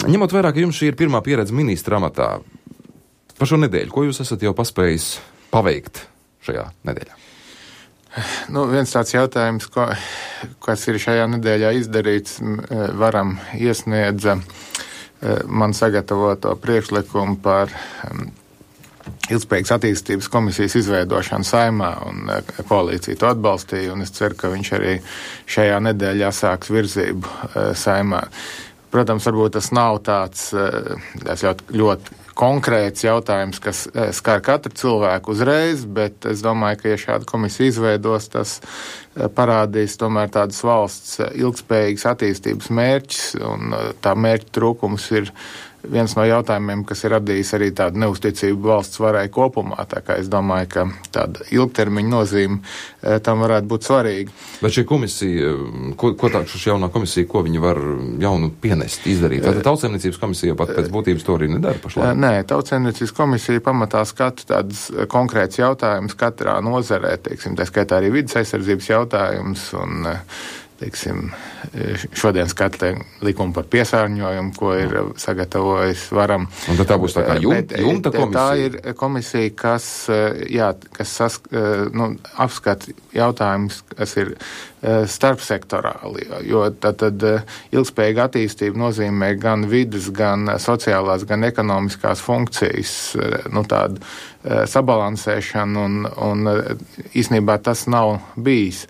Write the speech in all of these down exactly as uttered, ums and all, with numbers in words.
Ņemot vērā, ka jums šī ir pirmā pieredze ministra amatā, par šo nedēļu, ko jūs esat jau paspējis paveikt šajā nedēļā? Nu, viens tāds jautājums, ko, kas ir šajā nedēļā izdarīts, varam iesniedza man sagatavoto priekšlikumu par ilgspējīgas attīstības komisijas izveidošanu Saeimā, un koalīcija to atbalstīja, un es ceru, ka viņš arī šajā nedēļā sāks virzību Saeimā. Protams, varbūt tas nav tāds ļoti, ļoti konkrēts jautājums, kas skar katru cilvēku uzreiz, bet es domāju, ka, ja šāda komisija izveidos, tas parādīs tomēr tādas valsts ilgspējīgas attīstības mērķus, un tā mērķa trūkums ir viens no jautājumiem, kas ir radījis arī tādu neusticību valsts varai kopumā, tā kā es domāju, ka tāda ilgtermiņa nozīme tam varētu būt svarīga. Bet šī komisija, ko, ko tā šī jaunā komisija, ko viņa var jaunu pienest, izdarīt? Tātad Tautsaimniecības komisija pat pēc būtības to arī nedara pašlaik? Nē, Tautsaimniecības komisija pamatā skata tādas konkrētas jautājumas katrā nozarē, teiksim, tā skaitā arī vidas aizsardzības jautājums un teiksim, šodien skatē likumu par piesārņojumu, ko ir sagatavojis Varam. Un tad tā būs tā kā jumta, jumta komisija? Tā ir komisija, kas, jā, kas sask, nu, apskata jautājumus, kas ir starpsektorāli, jo tad, tad ilgspējīga attīstība nozīmē gan vidas, gan sociālās, gan ekonomiskās funkcijas, nu, tādu sabalansēšanu, un, un īstenībā tas nav bijis.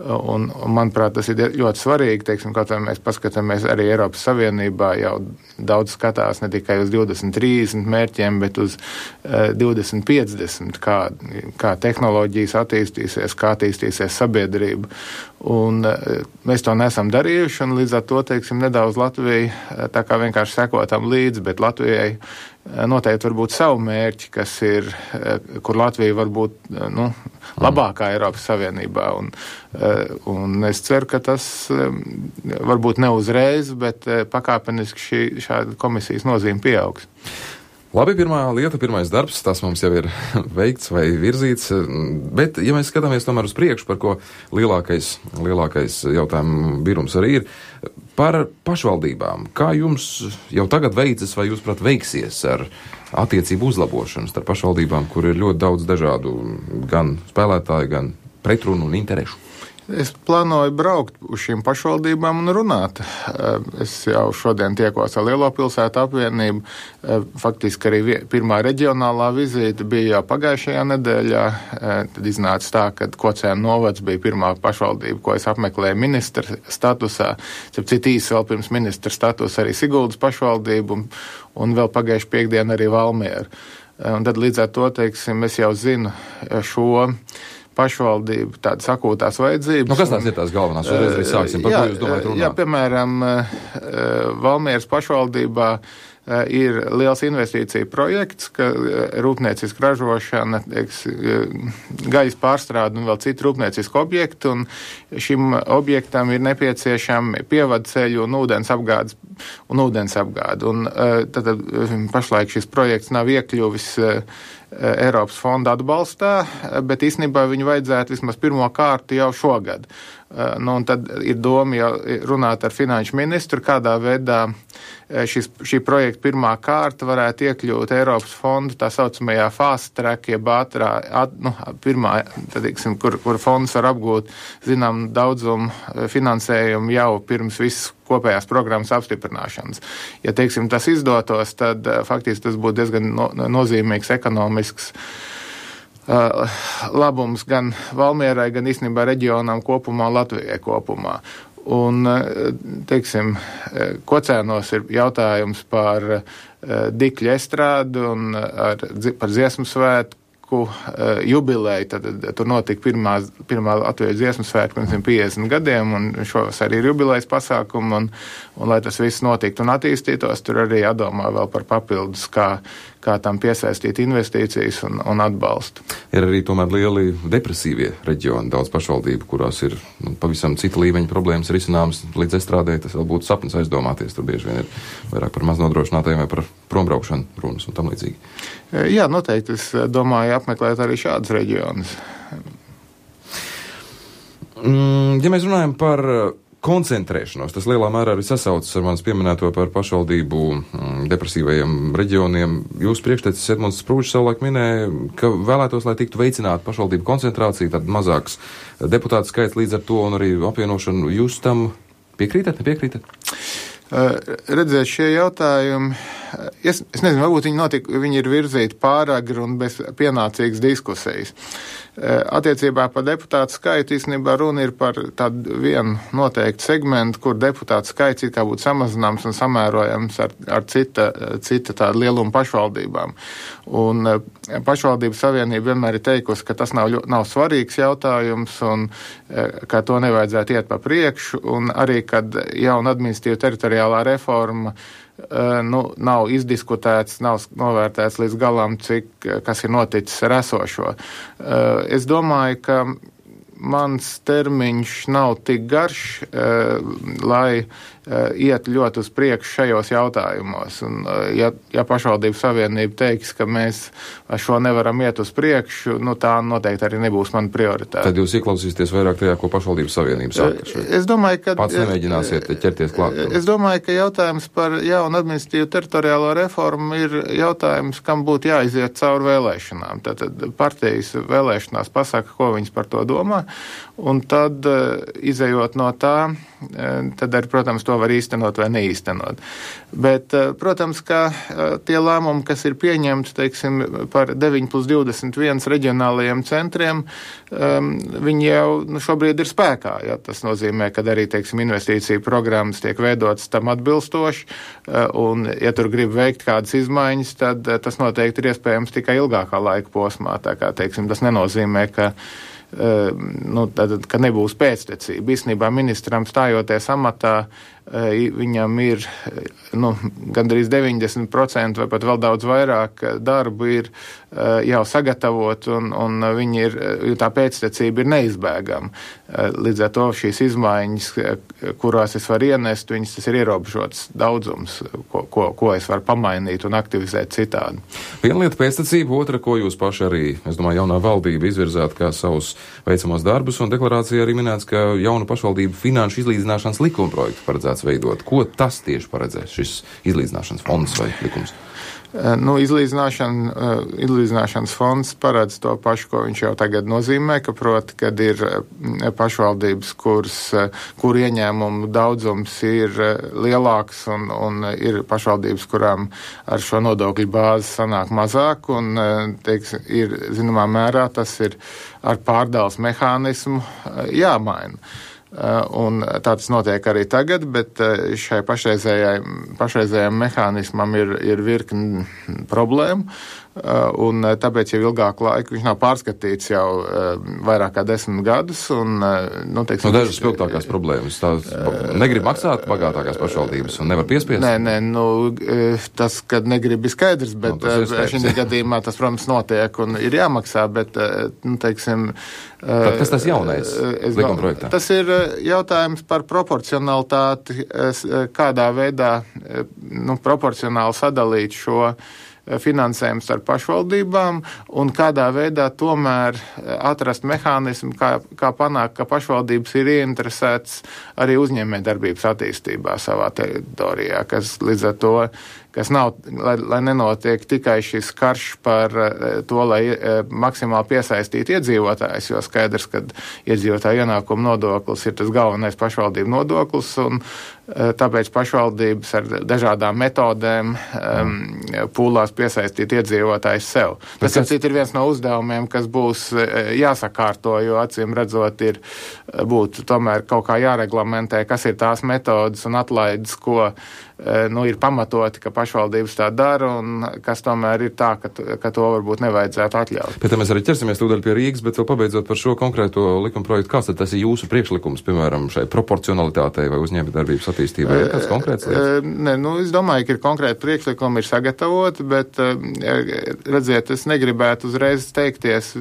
Un, un manuprāt, tas ir ļoti svarīgi, teiksim, kaut vai mēs paskatāmies arī Eiropas Savienībā jau daudz skatās ne tikai uz divdesmit trīsdesmit mērķiem, bet uz uh, divdesmit piecdesmit, kā, kā tehnoloģijas attīstīsies, kā attīstīsies sabiedrība. Un uh, mēs to nesam darījuši, un līdz ar to, teiksim, nedaudz Latvija uh, tā kā vienkārši sekotam līdzi, bet Latvijai noteikti var būt savu mērķi, kas ir, kur Latvija var būt, nu, labākā Eiropas Savienībā. Un, un es ceru, ka tas varbūt ne uzreiz, bet pakāpeniski šī šāda komisijas nozīme pieaugs. Labi, pirmā lieta, pirmais darbs, tas mums jau ir veikts vai virzīts, bet, ja mēs skatāmies tomēr uz priekšu, par ko lielākais, lielākais jautājumu birums arī ir, par pašvaldībām. Kā jums jau tagad veicas vai jūs, prāt, veiksies ar attiecību uzlabošanu starp pašvaldībām, kur ir ļoti daudz dažādu gan spēlētāju, gan pretrunu un interešu? Es plānoju braukt uz šīm pašvaldībām un runāt. Es jau šodien tiekos ar Lielo pilsētu apvienību. Faktiski arī pirmā reģionālā vizīte bija jau pagājušajā nedēļā. Tad iznāca tā, ka Kocēnu novads bija pirmā pašvaldība, ko es apmeklēju ministra statusā. Cit īsi vēl pirms ministra statusa arī Siguldas pašvaldību un, un vēl pagājuši piekdien arī Valmiera. Un tad līdz ar to, teiksim, es jau zinu šo pašvaldību tādas akūtās vajadzības. Nu, kas tās ir tās galvenās? Uzreiz arī sāksim. Par jā, ko jūs domājat runāt? Jā, piemēram, Valmieras pašvaldībā ir liels investīcija projekts, ka rūpnieciska ražošana, teiks, gaļas pārstrāde un vēl citu rūpniecisku objektu, un šim objektam ir nepieciešami pievadceļu un ūdens apgādes un ūdens apgāde. Un tad, tad pašlaik šis projekts nav iekļuvis Eiropas fonda atbalstā, bet īstenībā viņu vajadzētu vismaz pirmo kārtu jau šogad. Nu, un tad ir doma jau runāt ar finanšu ministru, kādā veidā šis, šī projekta pirmā kārta varētu iekļūt Eiropas fondu tā saucamajā fast track, jeb ātrā, at, nu, pirmā, tad, iksim, kur, kur fonds var apgūt, zinām, daudzumu finansējumu jau pirms visas kopējās programmas apstiprināšanas. Ja, teiksim, tas izdotos, tad faktiski tas būtu diezgan no, nozīmīgs ekonomisks Uh, labums gan Valmierai, gan īstenībā reģionām kopumā, Latvijai kopumā. Un, teiksim, Kocēnos ir jautājums par uh, Dikļa estrādu un ar, par dziesmu svētku uh, jubileju. Tad, tad tur notika pirmā, pirmā Latvijas dziesmu svētku pirms piecdesmit gadiem, un šos arī ir jubilejas pasākumu, un, un lai tas viss notiktu un attīstītos, tur arī jādomā vēl par papildus, kā kā tam piesaistīt investīcijas un, un atbalstu. Ir arī tomēr lieli depresīvie reģioni, daudz pašvaldību, kurās ir nu, pavisam cita līmeņa problēmas risināmas līdz estrādē. Tas vēl būtu sapnis aizdomāties. Tur bieži vien ir vairāk par maznodrošinātajiem vai par prombraukšanu runas un tam līdzīgi. Jā, noteikti. Es domāju apmeklēt arī šādus reģionus. Mm, ja mēs runājam par koncentrēšanos. Tas lielā mērā arī sasaucas ar manis pieminēto par pašvaldību mm, depresīvajiem reģioniem. Jūs priekštecis Edmunds Sprūžs savulaik minēja, ka vēlētos, lai tiktu veicināta pašvaldību koncentrācija, tad mazāks deputātu skaits līdz ar to un arī apvienošanu. Jūs tam piekrītat, nepiekrītat? Uh, redzēt, šie jautājumi, es, es nezinu, varbūt viņi, notik, viņi ir virzīti pāragri un bez pienācīgas diskusijas. Uh, attiecībā par deputātu skaitu īstenībā runa ir par tādu vienu noteiktu segmentu, kur deputātu skaits it kā būtu samazināms un samērojams ar, ar cita, cita tādu lielumu pašvaldībām. Un uh, pašvaldību savienība vienmēr ir teikusi, ka tas nav, nav svarīgs jautājums un uh, ka to nevajadzētu iet pa priekšu, un arī, kad jauna administratīva teritoriālā reforma uh, nu, nav izdiskutēts, nav novērtēts līdz galam, cik, kas ir noticis ar esošo. Uh, es domāju, ka mans termiņš nav tik garš, uh, lai uh, iet ļoti uz priekšu šajos jautājumos. Un, uh, ja, ja pašvaldību savienība teiks, ka mēs ar šo nevaram iet uz priekšu, nu tā noteikti arī nebūs mana prioritāte. Tad jūs ieklausīsieties vairāk tajā, ko pašvaldību savienība saka. Uh, es domāju, ka... Pats nemēģināsiet ķerties klāt. Es domāju, ka jautājums par jaunu administratīvu teritoriālo reformu ir jautājums, kam būtu jāiziet cauri vēlēšanām. Tātad partijas vēlēšanās pasaka, ko viņas par to domā. Un tad, izejot no tā, tad arī, protams, to var īstenot vai neīstenot. Bet, protams, ka tie lēmumi, kas ir pieņemti, teiksim, par deviņi plus divdesmit viens reģionālajiem centriem, viņi jau nu, šobrīd ir spēkā. Ja? Tas nozīmē, ka arī, teiksim, investīcija programmas tiek veidotas tam atbilstoši, un, ja tur grib veikt kādas izmaiņas, tad tas noteikti ir iespējams tikai ilgākā laika posmā. Tā kā, teiksim, tas nenozīmē, ka Uh, nu, tad, ka nebūs pēctecība. Īstenībā ministram stājoties amatā, uh, viņam ir nu, gandrīz deviņdesmit procenti vai pat vēl daudz vairāk darbu ir uh, jau sagatavot, un, un viņi ir, tā pēctecība ir neizbēgama. Uh, līdz ar to šīs izmaiņas, kurās es varu ienest, viņas tas ir ierobežots daudzums, ko, ko, ko es varu pamainīt un aktivizēt citādi. Viena lieta pēctecība, otra, ko jūs paši arī, es domāju, jaunā valdība izvirzāt kā savus veicamos darbus, un deklarācijā arī minēts, ka jaunu pašvaldību finanšu izlīdzināšanas likuma projektu paredzēts veidot. Ko tas tieši paredzēs, šis izlīdzināšanas fonds vai likums? Nu, izlīdzināšana, izlīdzināšanas fonds paredz to pašu, ko viņš jau tagad nozīmē, ka proti, kad ir pašvaldības, kuras, kur ieņēmumu daudzums ir lielāks un, un ir pašvaldības, kurām ar šo nodokļu bāzi sanāk mazāk un, teiks, ir, zināmā mērā, tas ir ar pārdales mehānismu jāmaina. Un tā tas notiek arī tagad, bet šai pašreizējām mehānismam ir, ir virkni problēmu, un tāpēc jau ilgāku laiku viņš nav pārskatīts jau vairāk kā desmit gadus. Un, nu, teiksim, no dažas spilgtākās problēmas. Tās negrib maksāt bagātākās pašvaldības un nevar piespiest? Nē, nē, nu, tas, kad negrib ir skaidrs, bet no, šī gadījumā tas, protams, notiek un ir jāmaksā, bet, nu, teiksim, Tad kas tas jaunais likuma projektā? Tas ir jautājums par proporcionalitāti, kādā veidā nu, proporcionāli sadalīt šo finansējumu starp pašvaldībām un kādā veidā tomēr atrast mehānismu, kā, kā panākt, ka pašvaldības ir ieinteresētas arī uzņēmējdarbības attīstībā savā teritorijā, kas līdz ar to, kas nav, lai, lai nenotiek tikai šis karš par to, lai maksimāli piesaistītu iedzīvotājus, jo skaidrs, ka iedzīvotāju ienākumu nodoklis ir tas galvenais pašvaldību nodoklis, un tāpēc pašvaldības ar dažādām metodēm um, pūlās piesaistīt iedzīvotājus sev. Tas, tas ir viens no uzdevumiem, kas būs jāsakārto, jo acīm redzot ir būtu tomēr kaut kā jāreglamentē, kas ir tās metodas un atlaides, ko nu, ir pamatoti, ka pašvaldības tā dara, un kas tomēr ir tā, ka, ka to varbūt nevajadzētu atļaut. Pēc tam mēs arī ķersimies tūdaļ pie Rīgas, bet vēl pabeidzot par šo konkrēto likuma projektu, kāds tad tas ir jūsu priekšlikums, piemēram, šai proporcionalitātei vai uzņēmējdarbības attīstībai? Ir kāds konkrēts lietas? Ne, nu, es domāju, ka ir konkrēti priekšlikumi, ir sagatavoti, bet, redziet, es negribētu uzreiz teikties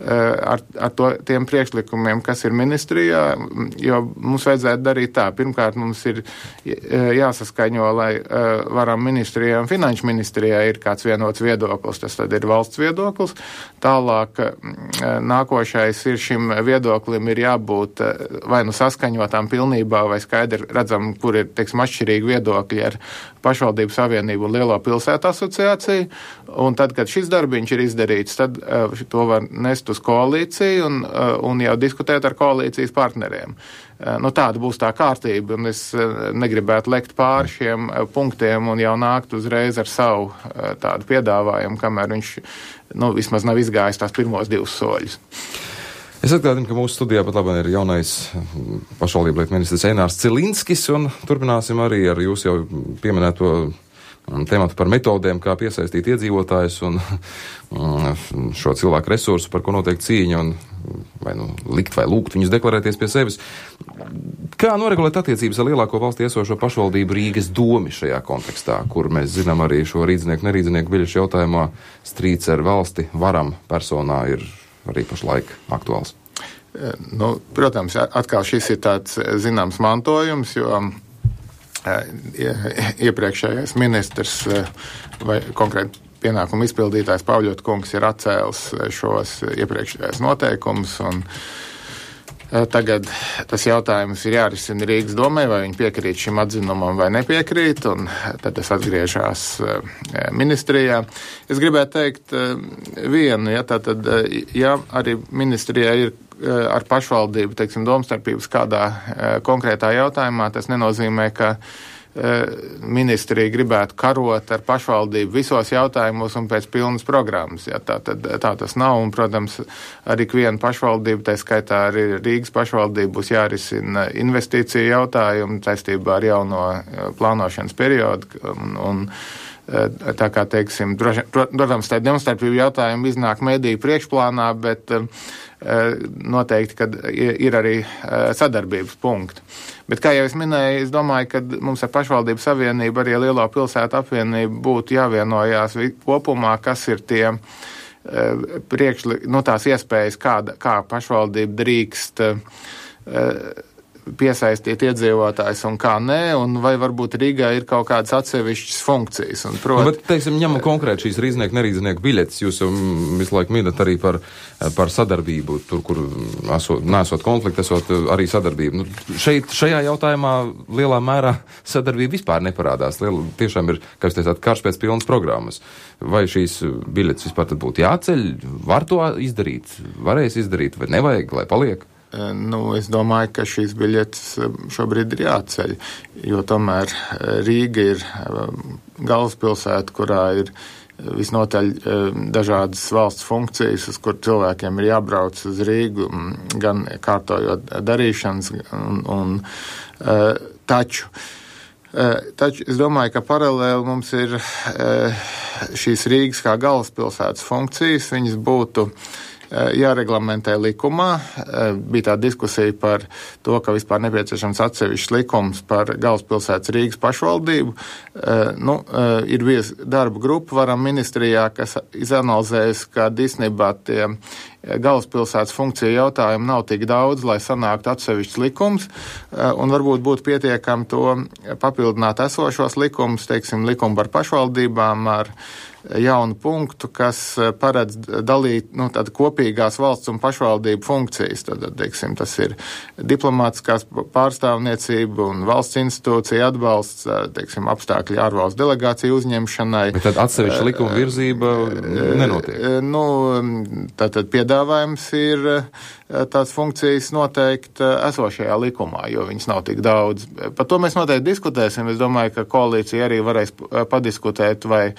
ar, ar to, tiem priekšlikumiem, kas ir ministrijā, jo mums vajadzētu darīt tā. Pirmkārt, mums ir jāsaskaņo, lai varam ministrijai un finanšu ministrijai ir kāds vienots viedoklis, tas tad ir valsts viedoklis. Tālāk nākošais ir šim viedoklim ir jābūt vai nu saskaņotām pilnībā, vai skaidri redzam, kur ir, teiksim, atšķirīgi viedokļi ar pašvaldību savienību un Lielo pilsētu asociāciju. Un tad, kad šis darbiņš ir izdarīts, tad to var nest uz koalīciju un, un jau diskutēt ar koalīcijas partneriem. Nu, tāda būs tā kārtība, un es negribētu lekt pāri šiem punktiem un jau nākt uzreiz ar savu tādu piedāvājumu, kamēr viņš, nu, vismaz nav izgājis tās pirmos divus soļus. Es atgādinu, ka mūsu studijā pat labāk ir jaunais pašvaldību lietu ministrs Einārs Cilinskis, un turpināsim arī ar jūsu jau pieminēto tematu par metodēm, kā piesaistīt iedzīvotājus un šo cilvēku resursu, par ko notiek cīņa, un vai nu likt vai lūgt viņus deklarēties pie sevis. Kā noregulēt attiecības ar lielāko valstī esošo pašvaldību Rīgas domi šajā kontekstā, kur mēs zinām arī šo rīdznieku, nerīdznieku biļešu jautājumā strīds ar valsti varam personā ir arī pašlaik aktuāls? Nu, protams, atkal šis ir tāds zināms mantojums, jo iepriekšējais ministrs vai konkrēti pienākumu izpildītājs Pavļot kungs ir atcēlis šos iepriekšējos noteikumus, un tagad tas jautājums ir jārisina Rīgas domē, vai viņi piekrīt šim atzinumam vai nepiekrīt, un tad tas atgriežās ministrijā. Es gribētu teikt vienu, ja tātad, ja arī ministrijā ir ar pašvaldību, teiksim, domstarpības kādā konkrētā jautājumā, tas nenozīmē, ka ministrija gribētu karot ar pašvaldību visos jautājumos un pēc pilnas programmas. Ja, tā, tad, tā tas nav, un, protams, arī ikviena pašvaldība, tā skaitā arī Rīgas pašvaldība, būs jārisina investīciju jautājumu saistībā ar jauno plānošanas periodu, un, un tā kā, teiksim, protams, tā domstarpību jautājumu iznāk mediju priekšplānā, bet noteikti, kad ir arī sadarbības punkti. Bet, kā jau es minēju, es domāju, ka mums ar pašvaldību savienību arī Lielo pilsētu apvienību būtu jāvienojās kopumā, kas ir tie priekšli, nu, tās iespējas, kā, kā pašvaldība drīkst piesaistīt iedzīvotājs un kā nē, un vai varbūt Rīgā ir kaut kādas atsevišķas funkcijas. Un, proti, nu, bet, teiksim, ņemam konkrēti šīs rīznieku, nerīznieku biļetes. Jūs jau visu laiku minat arī par, par sadarbību, tur, kur esot, nesot konflikti, esot arī sadarbību. Nu, šeit, šajā jautājumā lielā mērā sadarbība vispār neparādās. Liela, tiešām ir, kā jūs teicāt, karš pēc pilnas programmas. Vai šīs biļetes vispār tad būtu jāceļ? Var to izdarīt? Varēs izdarīt? Vai nevajag, lai paliek? Nu, es domāju, ka šīs biļetes šobrīd ir jāceļ, jo tomēr Rīga ir galvaspilsēta, kurā ir visnotaļ dažādas valsts funkcijas, uz kur cilvēkiem ir jābrauc uz Rīgu, gan kārtojot darīšanas, un, un taču. Taču es domāju, ka paralēli mums ir šīs Rīgas kā galvaspilsētas funkcijas, viņas būtu jāreglamentē likumā. Bija tā diskusija par to, ka vispār nepieciešams atsevišķs likums par galvaspilsētas Rīgas pašvaldību. Nu, ir bijis darba grupa varam ministrijā, kas izanalizējas, ka īstenībā tie galvaspilsētas funkciju jautājumi nav tik daudz, lai sanāktu atsevišķs likums, un varbūt būtu pietiekami to papildināt esošos likumus, teiksim, likumu par pašvaldībām ar jaunu punktu, kas paredz dalīt, nu, tāda kopīgās valsts un pašvaldību funkcijas. Tad, teiksim, tas ir diplomātiskās pārstāvniecība un valsts institūcija atbalsts, teiksim, apstākļi ārvalstu delegāciju uzņemšanai. Bet tad atsevišķa likuma virzība nenotiek? Nu, tātad piedāvājums ir tās funkcijas noteikti esošajā likumā, jo viņas nav tik daudz. Par to mēs noteikti diskutēsim. Es domāju, ka koalīcija arī varēs padiskutēt, vai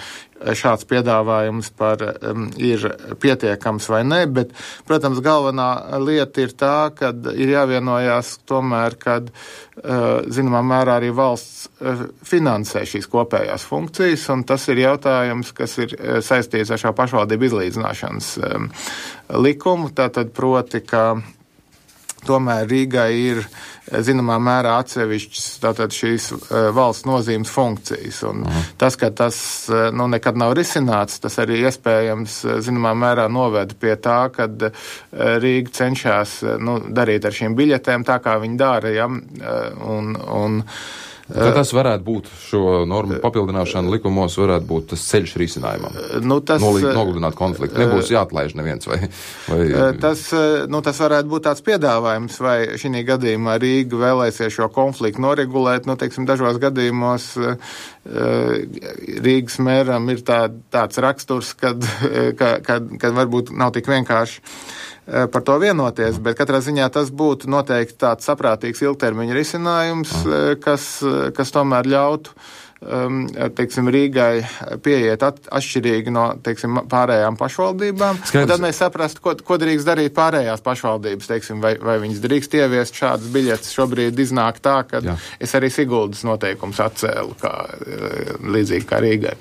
šāds piedāvājums par, um, ir pietiekams vai ne, bet, protams, galvenā lieta ir tā, ka ir jāvienojās tomēr, kad, uh, zināmā mērā arī valsts uh, finansē šīs kopējās funkcijas, un tas ir jautājums, kas ir uh, saistīts ar šo pašvaldību izlīdzināšanas um, likumu, tātad proti, ka tomēr Rīgai ir zināmā mērā atsevišķas tātad šīs uh, valsts nozīmes funkcijas. Un mm. tas, ka tas uh, nu, nekad nav risināts, tas arī iespējams zināmā mērā noved pie tā, kad uh, Rīga cenšas uh, nu, darīt ar šīm biļetēm tā, kā viņi dara. Ja? Uh, un, un, Tad tas varētu būt šo normu papildināšana likumos, varētu būt tas ceļš risinājumam. Nu, tas, Nolīt, nogludināt konfliktu. Nebūs jāatlaiž neviens vai... vai... Tas, nu, tas varētu būt tāds piedāvājums, vai šī gadījumā Rīga vēlēsies šo konfliktu noregulēt. Nu, teiksim, dažos gadījumos Rīgas mēram ir tā, tāds raksturs, kad, kad, kad, kad varbūt nav tik vienkārši par to vienoties, bet katrā ziņā tas būtu noteikti tāds saprātīgs ilgtermiņa risinājums, kas, kas tomēr ļautu, teiksim, Rīgai pieiet at, atšķirīgi no, teiksim, pārējām pašvaldībām. Skaidrs. Un tad mēs saprastu, ko, ko drīkst darīt pārējās pašvaldības, teiksim, vai, vai viņas drīkst ieviest šādas biļetes. Šobrīd iznāk tā, ka Jā. es arī Siguldas noteikums atcēlu, kā, līdzīgi kā Rīgai.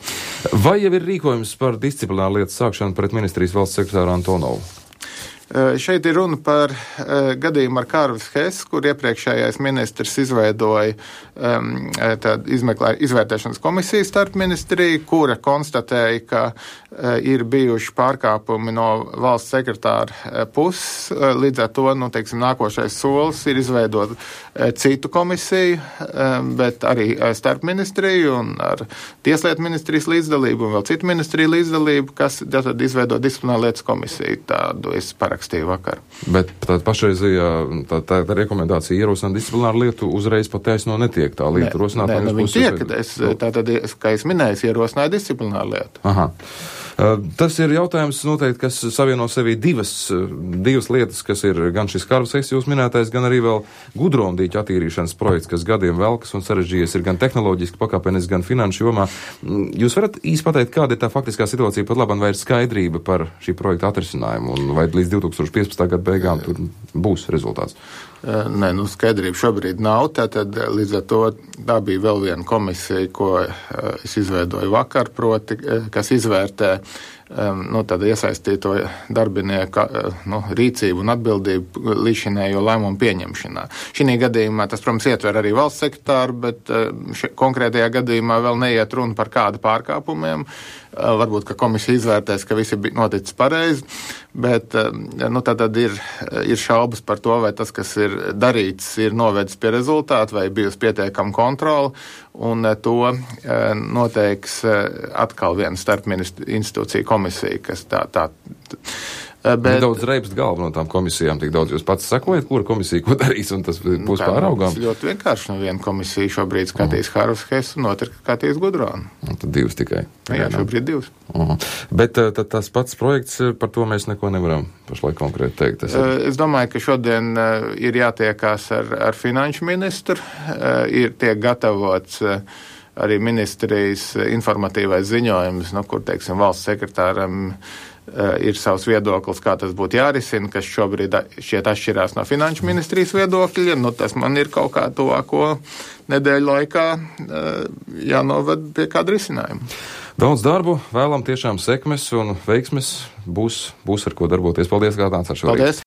Vai jau ir rīkojums par disciplināru lietu sākšanu pret ministrijas valsts sekretāru Antonovu? Šeit ir runa par uh, gadījumu ar Kārvis Hess, kur iepriekšējais ministrs izveidoja um, tādu izmeklē, izvērtēšanas komisiju starp ministriju, kura konstatēja, ka uh, ir bijuši pārkāpumi no valsts sekretāra uh, puses. Uh, līdz ar to, nu, teiksim, nākošais solis ir izveidot uh, citu komisiju, um, bet arī uh, starp ministriju un ar tieslietu ministrijas līdzdalību un vēl citu ministriju līdzdalību, kas tad izveido disciplināru lietas komisiju. Tādu es parakstīju. Vakar. Bet tā pašreizajā tā, tā, tā rekomendācija ierosināt disciplināru lietu uzreiz pat taisno netiek. Tā lieta rosināt. Nē, nē, nu, viņi tiek, es, tātad, kā es minēju, ierosināju disciplināru lietu. Aha. Tas ir jautājums noteikti, kas savieno sevī divas, divas lietas, kas ir gan šis Kārvis Hess jūs minētais, gan arī vēl gudromdīķu attīrīšanas projekts, kas gadiem velkas un sarežģījies ir gan tehnoloģiski pakāpeniski, gan finanšu jomā. Jūs varat īsti pateikt, kāda ir tā faktiskā situācija pat labam, vai ir skaidrība par šī projekta atrisinājumu un vai līdz divi tūkstoši piecpadsmitā gada beigām tur būs rezultāts? Nē, nu skaidrība šobrīd nav, tātad līdz ar to tā bija vēl viena komisija, ko es izveidoju vakar, proti, kas izvērtē nu, tāda iesaistīto darbinieku nu, rīcību un atbildību līdzinējo lēmumu pieņemšanā. Šī gadījumā tas, protams, ietver arī valsts sekretāru, bet še, konkrētajā gadījumā vēl neiet runa par kādu pārkāpumiem. Varbūt, ka komisija izvērtēs, ka visi bija noticis pareizi, bet nu, tad ir, ir šaubas par to, vai tas, kas ir darīts, ir novedis pie rezultātu, vai bijusi pietiekama kontrola, un to noteiks atkal viena starpministru institūcija komisija, kas tā, tā Bet daudz reibst galvu no tām komisijām, tik daudz jūs pats sakojat, kura komisija ko darīs, un tas būs pāraugām? Tas ļoti vienkārši. No viena komisija šobrīd skatīs uh-huh. Kārvis Hess, un otra skatīs Gudronu. Un tad divas tikai. Jā, šobrīd divas. Uh-huh. Bet tad tas pats projekts, par to mēs neko nevaram pašlaik konkrēti teikt. Tas ir... Es domāju, ka šodien ir jātiekās ar, ar finanšu ministru, ir tiek gatavots arī ministrijas informatīvais ziņojums, nu, kur, teiksim, valsts sekretāram ir savs viedoklis, kā tas būtu jārisina, kas šobrīd šķiet atšķirās no finanšu ministrijas viedokļa. Nu, tas man ir kaut kā tuvāko nedēļu laikā jānovad pie kāda risinājuma. Daudz darbu, vēlam tiešām sekmes un veiksmes, būs, būs ar ko darboties. Paldies, kā tāds ar šo. Paldies!